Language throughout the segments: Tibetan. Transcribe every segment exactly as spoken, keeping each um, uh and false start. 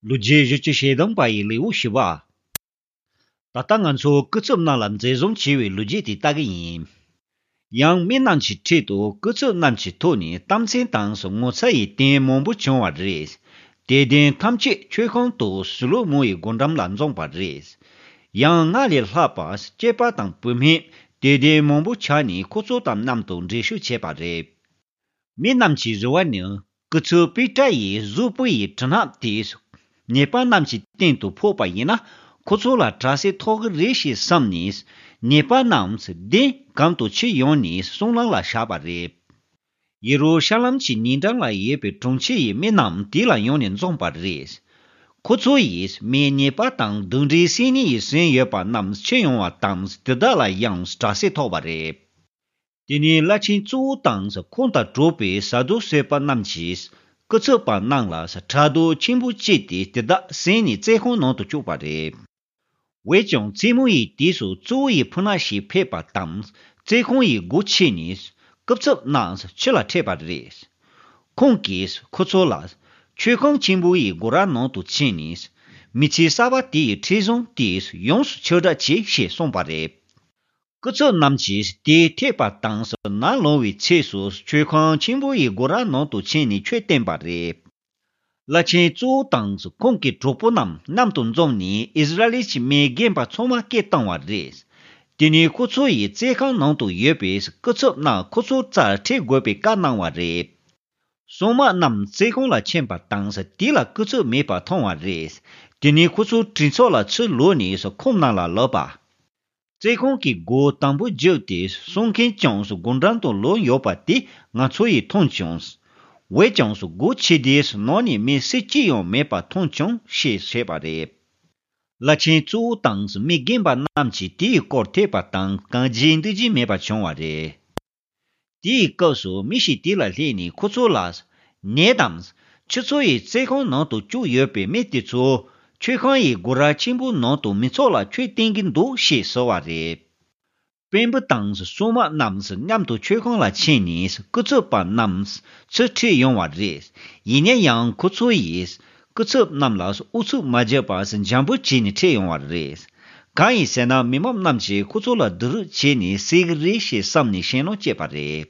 ལོ་རྒྱུས་བཞི་བཅུ་ཞེ་བདུན་པ་ཡི་ལེའུ་བཞི་པ། ད་ལྟ་ང་ཚོ་སྐུ་ཚབ་རྣམས་ལ་འཛིན་བཟུང་བྱས་པའི་ལོ་རྒྱུས་དེ་ལྟ་གི་ཡིན། ཡང་མི་རྣམས་ཀྱི་ཁྲོད་དུ་སྐུ་ཚབ་རྣམས་ཀྱི་ཐོག་ནས་གཏམ་ཚིག་དང་ངོ་ཚ་ཡི་རྟེན་མང་པོ་བྱུང་བ་རེད། དེ་རྟེན་ཐམས་ཅད་མཆོད་ཁང་དུ་སོ་ལོ་མོན་ཡི་སྒོ་འགྲམ་ལ་འཛོམས་པ་རེད། ཡང་སྔར་ལས་ལྷག་པར་སྐྱེས་པ་དང་བུད་མེད་དེ་རྟེན་མང་པོ་ཆགས་ནས་ཁོ་ཚོ་དང་མཉམ་དུ་འགྲན་ཞུགས་བྱས་པ་རེད། མི་རྣམས་ཀྱི་རེ་བ་ནི། སྐུ་ཚབ་པེ་ཏྲ་ཡིས་གཟུགས་པོ་ཡི་གྲི་སྣ་དེས་ཉེས་པ་རྣམས་ཀྱི་སྟེང་དུ་ཕོག་པ་ཡིན་ན། ཁོ་ཚོ་ལ་དྲག་སྐྱེད་ཐོབ་ཀྱི་རེད་ཞེས་བསམས་ནས། ཉེས་པ་རྣམས་གདན་གང་དུ་ཁྱེར་ཡོང་ནས་སྲང་ལམ་ལ་བཞག་པ་རེད། ཡེ་རུ་ཤ་ལམ་གྱི་ཉེ་འགྲམ་ལ་ཡོད་པའི་གྲོང་ཁྱེར་ཡི་མི་རྣམས་དེ་ལ་ཡོང་ནས་འཛོམས་པ་རེད། ཁོ་ཚོ་ཡིས་མིའི་ཉེས་པ་དང་གདོན་འདྲེ་སེལ་ནུས་ཡི་ཟིན་ཡོད་པ་རྣམས་ཁྱེར་ཡོང་བ་དང་། དེ་དག་ལ་ཡང་དྲག་སྐྱེད་ཐོབ་པ་རེད། དེ་ནས་བླ་ཆེན་གཙོ་བོ་དང་ཁོང་དང་གྲོགས་པའི་ས་དུ་སེ་པ་རྣམས་ཀྱིས་སྐུ་ཚབ་པ་རྣམས་ལ་ཕྲག་དོག་ཆེན་པོ་སྐྱེས་ཏེ་དེ་དག་བསད་ནས་བཙོན་ཁང་ནང་དུ་བཅུག་པ་རེད། འོན་ཀྱང་བཙུན་མོ་ཡི་དུས་སུ་གཙོ་བོ་ཡི་ཕུ་ན་ཞིག་ཕེབས་པ་དང་བཙོན་ཁང་ཡི་སྒོ་ཕྱེ་ནས་སྐུ་ཚབ་རྣམས་ཕྱི་ལ་ཁྲིད་པ་རེད། ཁོང་གིས་ཁོ་ཚོ་ལ་མཆོད་ཁང་ཆེན་པོ་ཡི་སྒོ་ར་ནང་དུ་ཕྱིན་ནས་མི་ཚེ་གསར་པ་དེ་ཡི་འཕྲིན་བཟང་དེ་ཡོངས་སུ་ཁྱབ་བསྒྲགས་བྱེད་ཞེས་གསུངས་པ་རེད། སྐུ་ཚབ་རྣམས་ཀྱིས་དེ་ཐོས་པ་དང་ནམ་ལངས་པའི་ཚེ་སུ་མཆོད་ཁང་ཆེན་པོ་ཡི་སྒོ་ར་ནང་དུ་ཕྱིན་ནས་ཆོས་བསྟན་པ་རེད། བླ་ཆེན་གཙོ་བོ་དང་ཁོང་གི་གྲོགས་པོ་རྣམས་མཉམ་དུ་འཛོམས་ནས་ཨིསི་ར་ཨེལ་གྱི་མི་རྒན་པ་ཚང་མ་སྐད་བཏང་བ་རེད། དེ་ནས་ཁོ་ཚོ་ཡི་བཙོན་ཁང་ནང་དུ་ཡོད་པའི་སྐུ་ཚབ་རྣམས་ཁོ་ཚོའི་རྩར་ཁྲིད་དགོས་པའི་བཀའ་གནང་བ་རེད། སྲུང་མ་རྣམས་བཙོན་ཁང་ལ་ཕྱིན་པ་དང་དེ་ལ་སྐུ་ཚབ་མེད་པ་མཐོང་བ་རེད། དེ་ནས་ཁོ་ཚོ་གྲོས་ཚོགས་ལ་ཚུར་ལོག་ནས་ཁོང་རྣམས་ལ་ལབ་པ། བཙོན་ཁང་གི་སྒོ་དམ་པོ་བརྒྱབ་སྟེ་སྲུང་མཁན་ཀྱང་སྒོ་འགྲམ་དུ་ལོག་ཡོད་པ་དེ་ང་ཚོ་ཡིས་མཐོང་བྱུང་། འོན་ཀྱང་སྒོ་ཕྱེ་སྟེ་ནང་ནས་མི་སུ་གཅིག་ཡང་མེད་པ་མཐོང་བྱུང་ཞེས་བཤད་པ་རེད། བླ་ཆེན་གཙོ་བོ་དང་མི་རྒན་པ་རྣམས་ཀྱིས་དེའི་སྐོར་ཐོས་པ་དང་གང་བྱེད་འདི་བྱེད་མེད་པ་བྱུང་བ་རེད། དེའི་སྐབས་སུ་མི་ཞིག་དེ་ལ་སླེབས་ནས་ཁོ་ཚོ་ལ། ཉེས་དམ། ཁྱོད་ཚོ་ཡི་བཙོན་ཁང་ནང་དུ་བཅུག་ཡོད་པའི་མི་དེ་ཚོ། མཆོད་ཁང་ཡི་སྒོ་ར་ཆེན་པོའི་ནང་དུ་མི་ཚོགས་ལ་ཆོས་བསྟན་གྱི་འདུག་ཞེས་ཟེར་བ་རེད། དཔོན་པོ་དང་སྲུང་མ་རྣམས་མཉམ་དུ་མཆོད་ཁང་ལ་ཕྱིན་ནས་སྐུ་ཚབ་པ་རྣམས་ཚུར་ཁྲིད་ཡོང་བ་རེད། ཡིན་ན་ཡང་ཁོ་ཚོ་ཡིས་སྐུ་ཚབ་རྣམས་ལ་ཨུ་ཚུགས་མ་བརྒྱབ་པར་འཇམ་པོ་བྱས་ནས་ཁྲིད་ཡོང་བ་རེད། གང་ཡིན་ཟེར་ན་མི་མང་རྣམས་ཀྱིས་ཁོ་ཚོ་ལ་སྡུག་རུས་བྱས་ནས་བསད་ཀྱི་རེད་ཞེས་བསམ་ནས་ཞེད་སྣང་སྐྱེས་པ་རེད།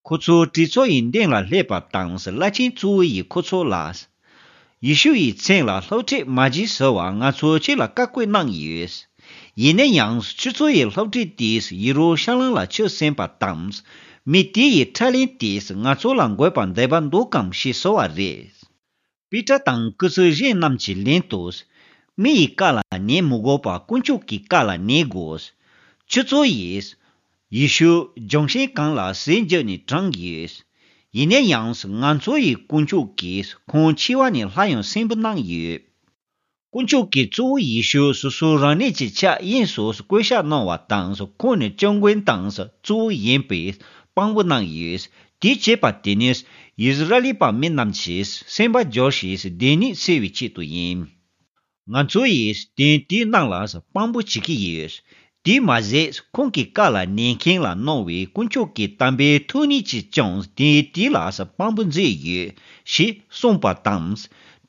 ཁོ་ཚོ་གྲོས་ཚོགས་ཡི་མདུན་ལ་སླེབས་པ་དང་བླ་ཆེན་གཙོ་བོ་ཡིས་ཁོ་ཚོ་ལ། ཡེ་ཤུ་ཡི་མཚན་ལ་སློབ་ཁྲིད་མ་བགྱིད་ཟེར་བ་ང་ཚོས་ཁྱེད་ལ་བཀའ་བཀོད་གནང་ཡོད། ཡིན་ན་ཡང་ཁྱོད་ཚོ་ཡི་སློབ་ཁྲིད་དེས་ཡེ་རུ་ཤ་ལམ་ལ་ཆུ་སྲིན་པ་དང་། མི་དེ་ཡི་ཁྲག་ལན་དེས་ང་ཚོ་ལ་འགོས་པ་འདོད་པ་འདུག་གམ་ཞེས་ཟེར་བ་རེད། པེ་ཏྲ་དང་སྐུ་ཚབ་གཞན་རྣམས་ཀྱིས་ལན་དུ། མི་ཡི་བཀའ་ལ་ཉན་མི་དགོས་པར་དཀོན་མཆོག་གི་བཀའ་ལ་ཉན་དགོས། ཁྱོད་ཚོ་ཡིས། ཡེ་ཤུ་ལྗོན་ཤིང་གང་ལ་ཟས་འཇུག་ནས་དྲངས་ཡོད། ཡིན་ན་ཡང་ང་ཚོ་ཡི་དཀོན་མཆོག་གིས་ཁོང་འཆི་བ་ནས་སླར་ཡང་གསོན་པོ་གནང་ཡོད། དཀོན་མཆོག་གིས་གཙོ་བོ་ཡེ་ཤུ་སོ་སོ་རང་ཉིད་ཀྱི་ཕྱག་གཡས་སུ་བསྐོ་བཞག་གནང་བ་དང་ཁོང་ནི་སྐྱབས་མགོན་དང་གཙོ་བོ་ཡིན་པས་དཔང་པོ་གནང་ཡོད། དེ་བྱས་པ་དེ་ནི་ཡིས་ར་ཨེལ་པ་མི་རྣམས་ཀྱིས་སེམས་པ་འགྱུར་ཞིང་བདེན་ནུས་སེལ་བའི་ཆེད་དུ་ཡིན། ང་ཚོ་ཡིས་དོན་དེའི་ནང་ལ་དཔང་པོ་བྱེད་ཀྱི་ཡོད། དེས་མ་ཟད་ཁོང་གི་བཀའ་ལ་ཉན་མཁན་ལ་གནང་བའི་དཀོན་མཆོག་གི་དམ་པའི་ཐུགས་ཉིད་ཀྱིས་ཀྱང་དེ་དེ་ལ་དཔང་པོ་མཛད་ཡོད་ཞེས་གསུངས་པ་དང་།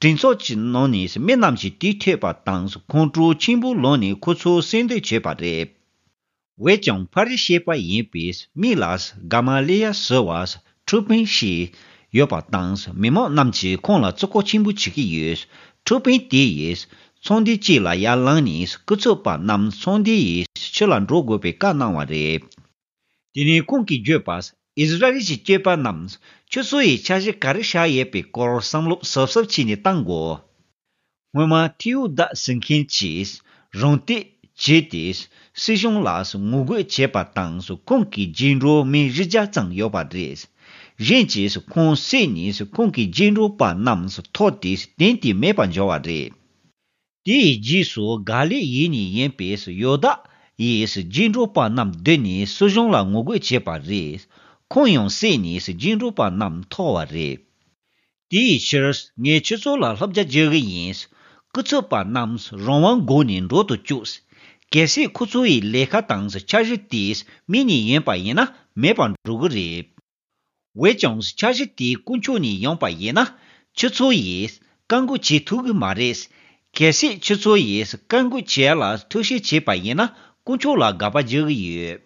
གྲོས་ཚོགས་ཀྱི་ནང་ནས་མི་རྣམས་ཀྱིས་དེ་ཐོས་པ་དང་ཁོང་ཁྲོ་ཆེན་པོ་ལངས་ནས་ཁོ་ཚོ་གསོད་འདོད་བྱས་པ་རེད། འོན་ཀྱང་ཕ་རི་ཤི་པ་ཡིན་པའི་མི་ལ་ག་མ་ལི་ཡ་ཟེར་བ་ཁྲིམས་དཔོན་ཞིག་ཡོད་པ་དང་མི་མང་རྣམས་ཀྱིས་ཁོང་ལ་བརྩི་བཀུར་ཆེན་པོ་བྱེད་ཀྱི་ཡོད། ཁྲིམས་དཔོན་དེ་ཡིས་ཚོང་འདུས་གཅིག་ལ་ཡར་ལངས་ནས་སྐུ་ཚབ་པ་རྣམས་ཚོང་འདུས་ཡི་ཕྱི་ལ་འགྲོ་དགོས་པའི་བཀའ་གནང་བ་རེད། དེ་ནས་ཁོང་གིས་བརྗོད་པ། ཨིསི་ར་ཨེལ་གྱི་སྐྱེས་པ་རྣམས་ཁྱོད་ཚོ་ཡི་འཆར་གཞི་ག་རེ་བཞག་ཡོད་པའི་སྐོར་བསམ་བློ་གཟབ་གཟབ་བྱས་ནས་བཏང་དགོས། སྔོན་མ་ཐེའུ་དཱ་ཟེར་མཁན་གྱིས་རང་བསྟོད་བྱས་ཏེ་སྲིད་གཞུང་ལ་ངོ་རྒོལ་བྱས་པ་དང་ཁོང་གི་རྗེས་འགྲོ་མི་བཞི་བརྒྱ་ཙམ་ཡོད་པ་རེད། གཞན་གྱིས་ཁོང་བསད་ནས་ཁོང་གི་རྗེས་འགྲོ་པ་རྣམས་ཐོར་ཏེ་དེང་དུས་མེད་པར་འགྱུར་བ་རེད། དེའི་རྗེས་སུ་ག་ལིལ་ཡུལ་ནས་ཡིན་པའི་ཡོ་དཱ་ཡི་རྗེས་འགྲོ་པ་རྣམས་བསྡུས་ནས་སྲིད་གཞུང་ལ་ངོ་རྒོལ་བྱས་པ་རེད། ཁོང་ཡང་བསད་ནས་རྗེས་འགྲོ་པ་རྣམས་ཐོར་བ་རེད། དེའི་ཕྱིར་ངས་ཁྱོད་ཚོ་ལ་བསླབ་བྱ་བརྗོད་ཀྱི་ཡིན། སྐུ་ཚབ་པ་རྣམས་རང་དབང་སྒོ་ནས་འགྲོ་དུ་བཅུག་གལ་སྲིད་ཁོ་ཚོ་ཡི་ལས་ཀ་དང་འཆར་གཞི་དེ་མི་ནས་ཡིན་པ་ཡིན་ན་མེད་པར་འགྲོ་གི་རེད། འོན་ཀྱང་འཆར་གཞི་དེ་དཀོན་མཆོག་ནས་ཡོང་པ་ཡིན་ན་ཁྱོད་ཚོ་ཡིས་ བཀའ་འགུག་བྱེད་ཐུབ་ཀྱི་མ་རེད། གལ་སྲིད་ཁྱོད་ཚོ་ཡིས་བཀའ་འགུག་བྱེད་ཡ་ལ་ཐུགས་ཞིབ་བྱས་པ་ཡིན་ན་དཀོན་མཆོག་ལ་དགག་པ་རྒྱག་གི་ཡོད།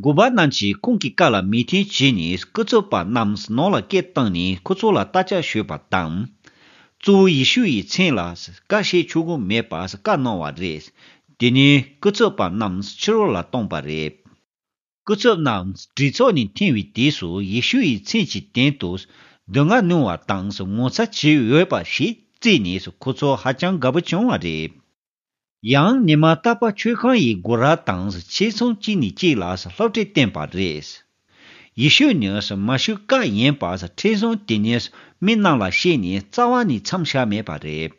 འགོ་པ་རྣམས་ཀྱིས་ཁོང་གི་བཀའ་ལ་མོས་མཐུན་བྱས་ནས་སྐུ་ཚབ་པ་རྣམས་ནང་ལ་སྐད་བཏང་ནས་ཁོ་ཚོ་ལ་རྟ་ལྕག་གཞུས་པ་དང་། གཙོ་བོ་ཡེ་ཤུ་ཡི་མཚན་ལ་བཀའ་བཤད་ཆོག་གི་མེད་པ་བཀའ་གནང་བ་རེད། དེ་ནས་སྐུ་ཚབ་པ་རྣམས་ཕྱི་རོལ་ལ་བཏང་པ་རེད། སྐུ་ཚབ་རྣམས་གྲོས་ཚོགས་ནས་ཐོན་པའི་དུས་སུ་ཡེ་ཤུ་ཡི་མཚན་གྱི་སྟེང་དུ་སྡུག་བསྔལ་མྱོང་བ་དང་ངོ་ཚ་བྱེད་འོས་པ་ཞིག་བརྩིས་ནས་ཁོ་ཚོ་ཧ་ཅང་དགའ་པོ་བྱུང་བ་རེད། ཡང་ཉི་མ་རྟག་པར་མཆོད་ཁང་ཡི་སྒོ་ར་དང་ཆེད་ཚང་གཅིག་ནས་གཅིག་ལ་སློབ་ཁྲིད་བསྟན་པ་རེད། ཡེ་ཤུ་ནི་མ་ཤི་ཀ་ཡིན་པ་ཁྲིམས་སྲུང་དེ་ཉིད་མི་རྣམས་ལ་བཤད་ནས་རྩ་བ་ནས་མཚམས་བཞག་མེད་པ་རེད།